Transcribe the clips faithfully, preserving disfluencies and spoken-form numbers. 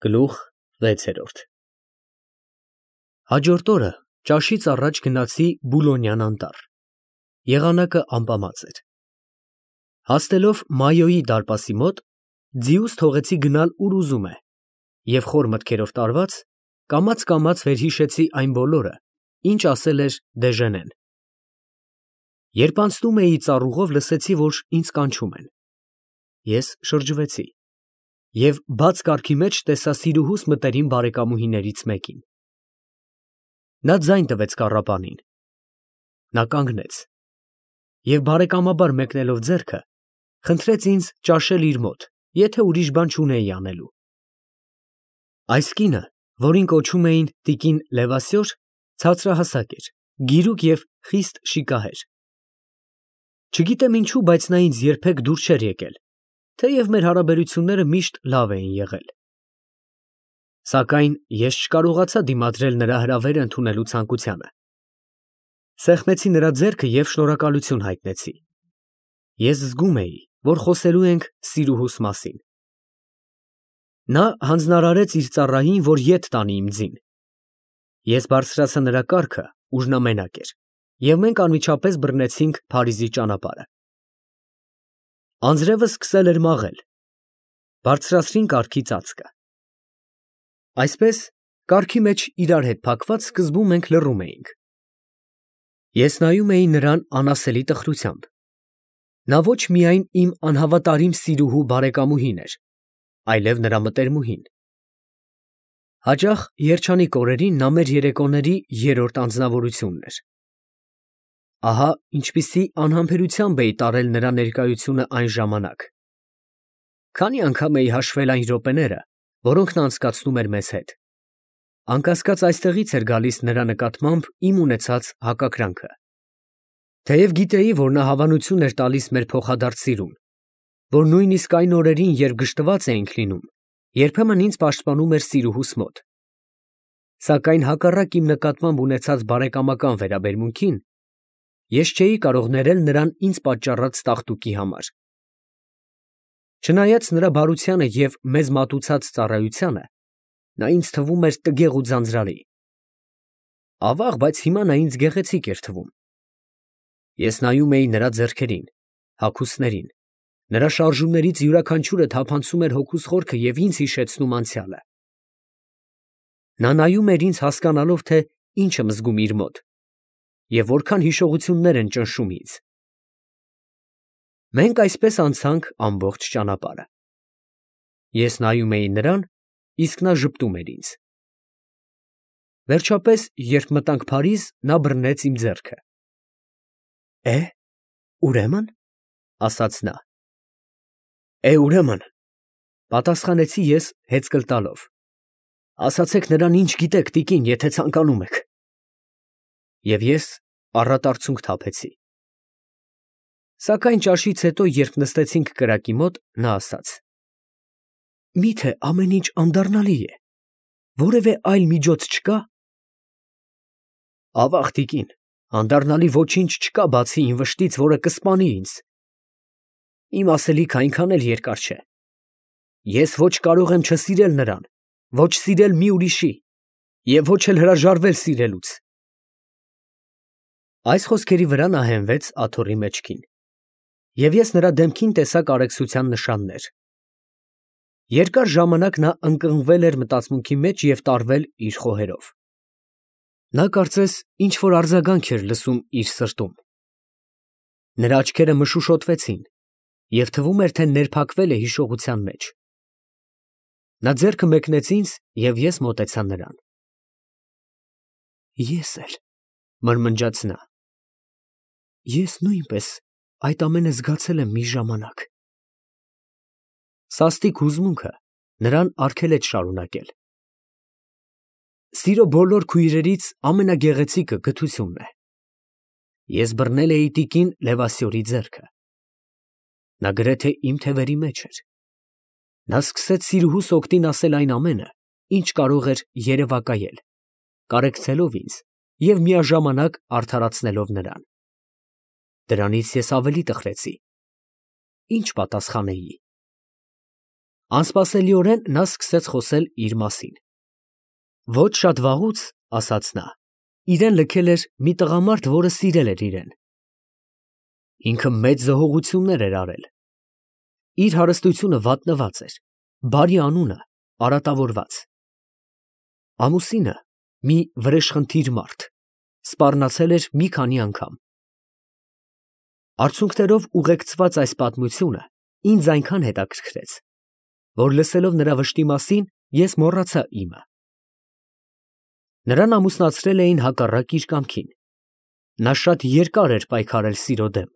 Գլուխ վեցերորդ Հաջորդ օրը ճաշից առաջ գնացի Բուլոնյան անտառ, եղանակը ամպամած էր, հասնելով Մայոյի դարպասի մոտ, ձիուս թողեցի գնալ ուր ուզում է և խոր մտքերով տարված, կամաց֊կամաց վերհիշեցի այն բոլորը, ինչ ասել էր Դեժենեն, երբ անցնում էի ծառուղով, լսեցի, որ ինձ կանչում են, ես շրջվեցի և բաց կառքի մեջ տեսա սիրուհուս մտերիմ բարեկամուհիներից մեկին, նա ձայն տվեց կառապանին, նա կանգնեց և բարեկամաբար մեկնելով ձեռքը, խնդրեց ինձ ճաշել իր մոտ, եթե ուրիշ բան չունեի անելու, այս կինը, որին կոչում էին տիկին Լևասյոր, ցածրահասակ էր, գիրուկ և խիստ շիկահեր, չգիտեմ ինչու, բայց նա ինձ երբեք դուր չէր եկել, թեև մեր հարաբերությունները միշտ լավ էին եղել, սակայն ես չկարողացա դիմադրել նրա հրավերը ընդունելու ցանկությանը, սեղմեցի նրա ձեռքը և շնորհակալություն հայտնեցի, ես զգում էի, որ խոսելու ենք սիրուհուս մասին, նա հանձնարարեց իր ծառային, որ ետ տանի իմ ձին, ես բարձրացա նրա կառքը, ուր նա մենակ էր, և մենք անմիջապես բռնեցինք Փարիզի ճանապարհը, անձրևը սկսել էր մաղել, բարձրացրին կառքի ծածկը, այսպես, կառքի մեջ իրար հետ փակված սկզբում մենք լռում էինք, ես նայում էի նրան անասելի տխրությամբ, նա ոչ միայն իմ անհավատարիմ սիրուհու բարեկամուհին էր, այլև նրա մտերմուհին, հաճախ երջանիկ օրերին նա մեր երեկոների երրորդ անձնավորությունն էր, ահա ինչպիսի անհամբերությամբ էի տարել նրա ներկայությունը այն ժամանակ, քանի անգամ էի հաշվել այն րոպեները, որոնք նա անցկացնում էր մեզ հետ, անկասկած այստեղից էր գալիս նրա նկատմամբ իմ ունեցած հակակրանքը, թեև գիտեի, որ նա հավանություն էր տալիս մեր փոխադարձ սիրուն, որ նույնիսկ այն օրերին, երբ գժտված էինք լինում, երբեմն ինձ պաշտպանում էր սիրուհուս մոտ, սակայն հակառակ իմ նկատմամբ ունեցած բարեկամական վերաբերմունքին, ես չէի կարող ներել նրան ինձ պատճառած տաղտուկի համար, չնայած նրա բարությանը և մեզ մատուցած ծառայությանը, նա ինձ թվում էր տգեղ ու ձանձրալի, ավաղ, բայց հիմա նա ինձ գեղեցիկ էր թվում, ես նայում էի նրա ձեռքերին, հագուստներին, նրա շարժումներից յուրաքանչյուրը թափանցում էր հոգուս խորքը և ինձ հիշեցնում անցյալը, նա նայում էր ինձ հասկանալով, թե ինչ եմ զգում իր մոտ և որքան հիշողություններ են ճնշում ինձ, մենք այսպես անցանք ամբողջ ճանապարհը, ես նայում էի նրան, իսկ նա ժպտում էր ինձ, վերջապես, երբ մտանք Փարիզ, նա բռնեց իմ ձեռքը, է, ուրեմն, ասաց նա, է, ուրեմն, պատասխանեցի ես հեծկլ տալով, ասացեք նրան ինչ գիտեք, տիկին, եթե ցանկանում եք, և ես առատ արցունք թափեցի, սակայն ճաշից հետո, երբ նստեցինք կրակի մոտ, նա ասաց. Միթե ամեն ինչ անդառնալի է, որևէ այլ միջոց չկա, ավաղ, տիկին, անդառնալի ոչինչ չկա, բացի իմ վշտից, որը կսպանի ինձ, իմ ասելիքը այնքան էլ երկար չէ, ես ոչ կարող եմ չսիրել նրան, ոչ սիրել մի ուրիշի և ոչ էլ հրաժարվել սիրելուց, այս խոսքերի վրա նա հենվեց աթոռի մեջքին, և ես նրա դեմքին տեսա կարեկցության նշաններ, երկար ժամանակ նա ընկղմվել էր մտածմունքի մեջ և տարվել իր խոհերով, նա կարծես ինչ֊որ արձագանք էր լսում իր սրտում, նրա աչքերը մշուշոտվեցին և թվում էր, թե ներփակվել է հիշողության մեջ, նա ձեռքը մեկնեց ինձ և ես մոտեցա նրան, ես էլ, մրմնջաց նա, ես նույնպես այդ ամենը զգացել եմ մի ժամանակ, սաստիկ հուզմունքը նրան արգելեց շարունակել, սիրո բոլոր քույրերից ամենագեղեցիկը գթությունն է, ես բռնել էի տիկին Լևասյորի ձեռքը, նա գրեթե իմ թևերի մեջ էր, նա սկսեց սիրուհուս օգտին ասել այն ամենը, ինչ կարող էր երևակայել, կարեկցելով ինձ և միաժամանակ արդարացնելով նրան, դրանից ես ավելի տխրեցի, ինչ պատասխանեի, Անսպասելիորեն նա սկսեց խոսել իր մասին։ Ոչ շատ վաղուց, ասաց նա, իրեն լքել էր մի տղամարդ, որը սիրել էր իրեն։ Ինքը մեծ զոհողություններ էր արել։ Իր հարստությունը վատնված էր, բարի անունը արատավորված։ Ամուսինը մի վրեժխնդիր մարդ, սպառնացել էր մի քանի անգամ։ Արցունքներով ուղեկցված այս պատմությունը ինձ այնքան հետաքրքրեց, որ լսելով նրա վշտի մասին, ես մոռացա իմը։ Նրան ամուսնացրել էին հակառակ իր կամքին։ Նա շատ երկար էր պայքարել սիրո դեմ,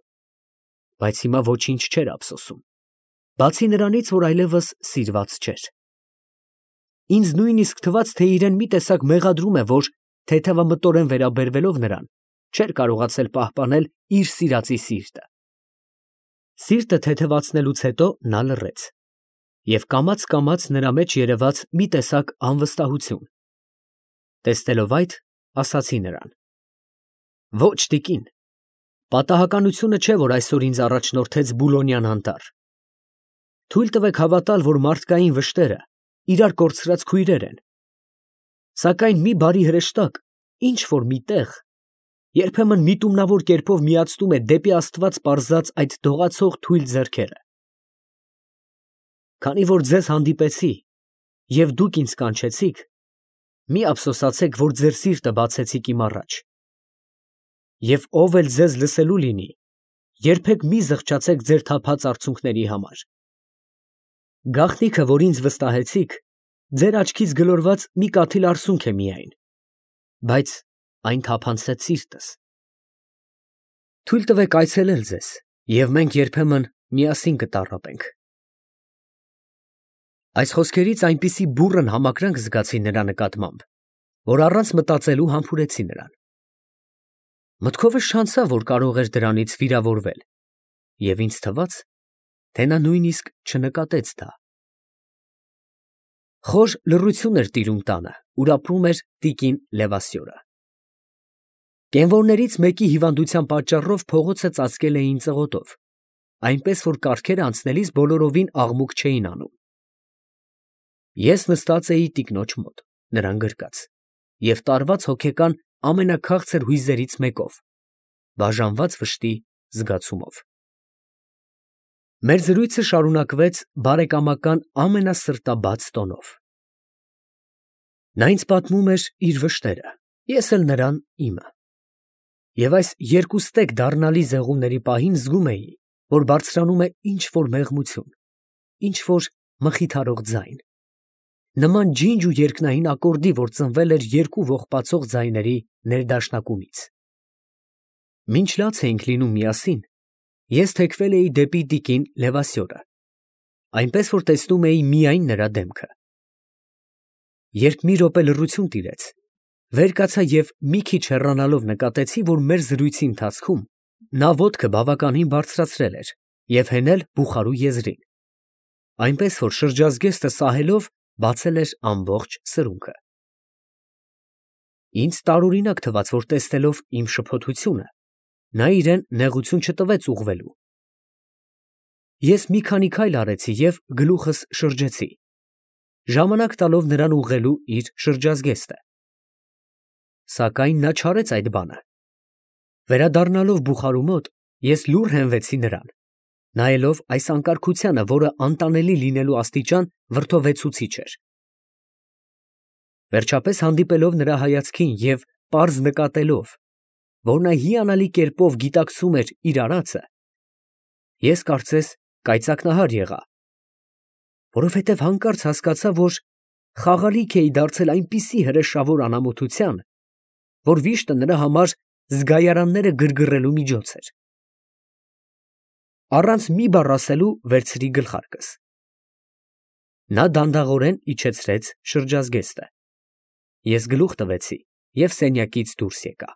բայց հիմա ոչինչ չէր ափսոսում, բացի նրանից, որ այլևս սիրված չէր։ Ինձ նույնիսկ թվաց, թե իրեն մի տեսակ մեղադրում է, որ թեթևամտորեն վերաբերվելով նրան, չէր կարողացել պահպանել իր սիրածի սիրտը։ Սիրտը թեթևացնելուց հետո նա լռեց, և կամաց֊կամաց նրա մեջ երևաց մի տեսակ անվստահություն։ Տեսնելով այդ, ասացի նրան. Ոչ, տիկին, պատահականությունը չէ, որ այսօր ինձ առաջնորդեց Բուլոնյան անտառ։ Թույլ տվեք հավատալ, որ մարդկային վշտերը իրար կորցրած քույրեր են։ Սակայն մի բարի հրեշտակ ինչ֊որ մի տեղ երբեմն միտումնավոր կերպով միացնում է դեպի Աստված պարզած այդ դողացող թույլ ձեռքերը։ Քանի որ ձեզ հանդիպեցի, և դուք ինձ կանչեցիք, մի ափսոսացեք, որ ձեր սիրտը բացեցիք իմ առաջ։ Եվ ով էլ ձեզ լսելու լինի, երբեք մի զղջացեք ձեր թափած արցունքների համար։ Գաղտնիքը, որ ինձ վստահեցիք, ձեր աչքից գլորված մի կաթիլ արցունք է միայն, բայց այն թափանցեց սիրտս։ Թույլ տվեք այցելել ձեզ, և մենք երբեմն միասին կտառապենք։ Այս խոսքերից այնպիսի բուռն համակրանք զգացի նրա նկատմամբ, որ առանց մտածելու համբուրեցի նրան։ Մտքովս չանցավ, որ կարող էր դրանից վիրավորվել, և ինձ թվաց, թե նա նույնիսկ չնկատեց դա։ Խոր լռություն էր տիրում տանը, ուր ապրում էր տիկին Լևասյորը։ Կենվորներից մեկի հիվանդության պատճառով փողոցը ծածկել էին ծղոտով, այնպես որ կառքերը անցնելիս բոլորովին աղմուկ չէին անում։ Ես նստած էի տիկնոջ մոտ, նրան գրկած, և տարված հոգեկան ամենաքաղցր հույզերից մեկով, բաժանված վշտի զգացումով։ Մեր զրույցը շարունակվեց բարեկամական ամենասրտաբաց տոնով։ Նա ինձ պատմում էր իր վշտերը, ես էլ նրան իմը։ Եվ այս երկուստեք դառնալի զեղումների պահին զգում էի, որ բարձրանում է ինչ֊որ մեղմություն, ինչ֊որ մխիթարող ձայն, նման ջինջ ու երկնային ակորդի, որ ծնվել էր երկու ողբացող ձայների ներդաշնակումից։ Մինչ լաց էինք լինում միասին, ես թեքվել էի դեպի տիկին Լևասյորը, այնպես որ տեսնում էի միայն նրա դեմքը։ Երբ մի րոպե լռություն տիրեց, վեր կացա և մի քիչ հեռանալով նկատեցի, որ մեր զրույցի ընթացքում նա ոտքը բավականին բարձրացրել էր և հենել բուխարու եզրին, այնպես որ շրջազգեստը սահելով բացել էր ամբողջ սրունքը։ Ինձ տարօրինակ թվաց, որ տեսնելով իմ շփոթությունը, նա իրեն նեղություն չտվեց ուղղվելու։ Ես մի քանի քայլ արեցի և գլուխս շրջեցի, ժամանակ տալով նրան ուղղելու իր շրջազգեստը։ Սակայն նա չարեց այդ բանը։ Վերադառնալով բուխարու մոտ, ես լուռ հենվեցի նրան, նայելով այս անկարգությանը, որը անտանելի լինելու աստիճան վրդովեցուցիչ էր։ Վերջապես հանդիպելով նրա հայացքին և պարզ նկատելով, որ նա հիանալի կերպով գիտակցում էր իր արածը, ես կարծես կայծակնահար եղա, որովհետև հանկարծ հասկացա, որ խաղալիք էի դարձել այնպիսի հրեշավոր անամոթության, որ վիշտը նրա համար զգայարանները գրգռելու միջոց էր։ Առանց մի բառ ասելու վերցրի գլխարկս։ Նա դանդաղորեն իջեցրեց շրջազգեստը։ Ես գլուխ տվեցի և սենյակից դուրս եկա։